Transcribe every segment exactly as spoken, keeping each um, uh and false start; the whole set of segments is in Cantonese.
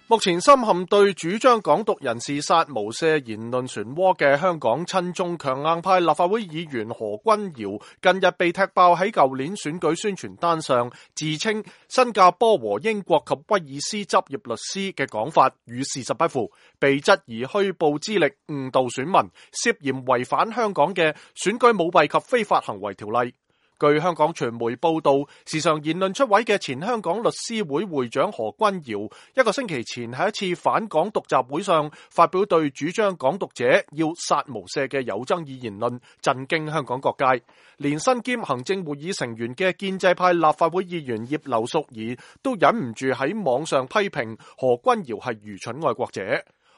目前深陷對主張港獨人士殺無赦言論漩渦嘅香港親中強硬派立法會議員何君堯，近日被踢爆喺舊年選舉宣傳單上自稱新加坡和英國及威爾斯執業律師嘅講法與事實不符，被質疑虛報資歷誤導選民，涉嫌違反香港嘅選舉舞弊及非法行為條例。據香港傳媒報道，時常言論出位嘅前香港律師會會長何君堯，一個星期前喺一次反港獨集會上發表對主張港獨者要殺無赦嘅有爭議言論，震驚香港各界。連身兼行政會議成員嘅建制派立法會議員葉劉淑儀都忍唔住喺網上批評何君堯係愚蠢愛國者。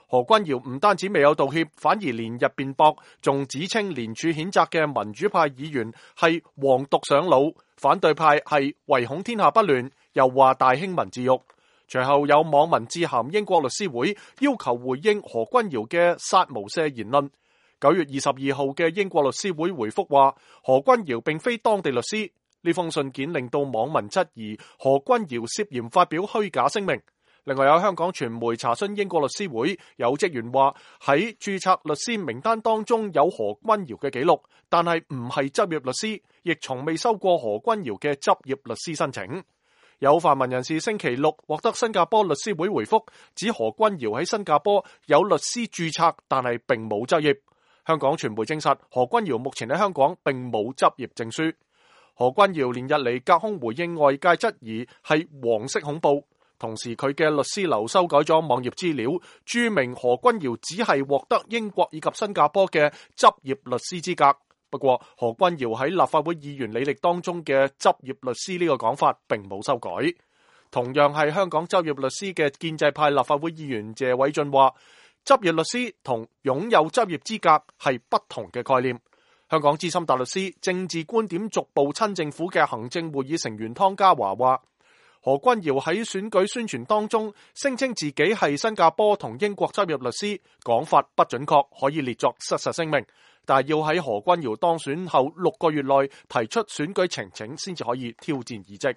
何君堯唔單止未有道歉，反而連日辯駁，仲指稱連署譴責嘅民主派議員係黃獨上腦，反對派係唯恐天下不亂，又話大興文字獄。隨後有網民致函英國律師會，要求回應何君堯嘅殺無赦言論。九月二十二號嘅英國律師會回覆話，何君堯並非當地律師。呢封信件令到網民質疑何君堯涉嫌發表虛假聲明。另外有香港傳媒查詢英國律師會，有職員話喺註冊律師名單當中有何君堯嘅記錄，但係唔係執業律師，亦從未收過何君堯嘅執業律師申請。有泛民人士星期六獲得新加坡律師會回覆，指何君堯喺新加坡有律師註冊，但係並冇執業。香港傳媒證實何君堯目前喺香港並冇執業證書。何君堯連日嚟隔空回應外界質疑係黃色恐怖。同時佢嘅律師樓修改咗網頁資料，註明何君堯只係獲得英國以及新加坡嘅執業律師資格。不過何君堯喺立法會議員履歷當中嘅執業律師呢個講法並冇修改。同樣係香港執業律師嘅建制派立法會議員謝偉俊話，執業律師同擁有執業資格係不同嘅概念。香港資深大律師、政治觀點逐步親政府嘅行政會議成員湯家驊話，何君堯喺選舉宣傳當中聲稱自己係新加坡同英國執業律師，講法不準確，可以列作失實聲明。但係要喺何君堯當選後六個月內提出選舉呈請，先至可以挑戰議職。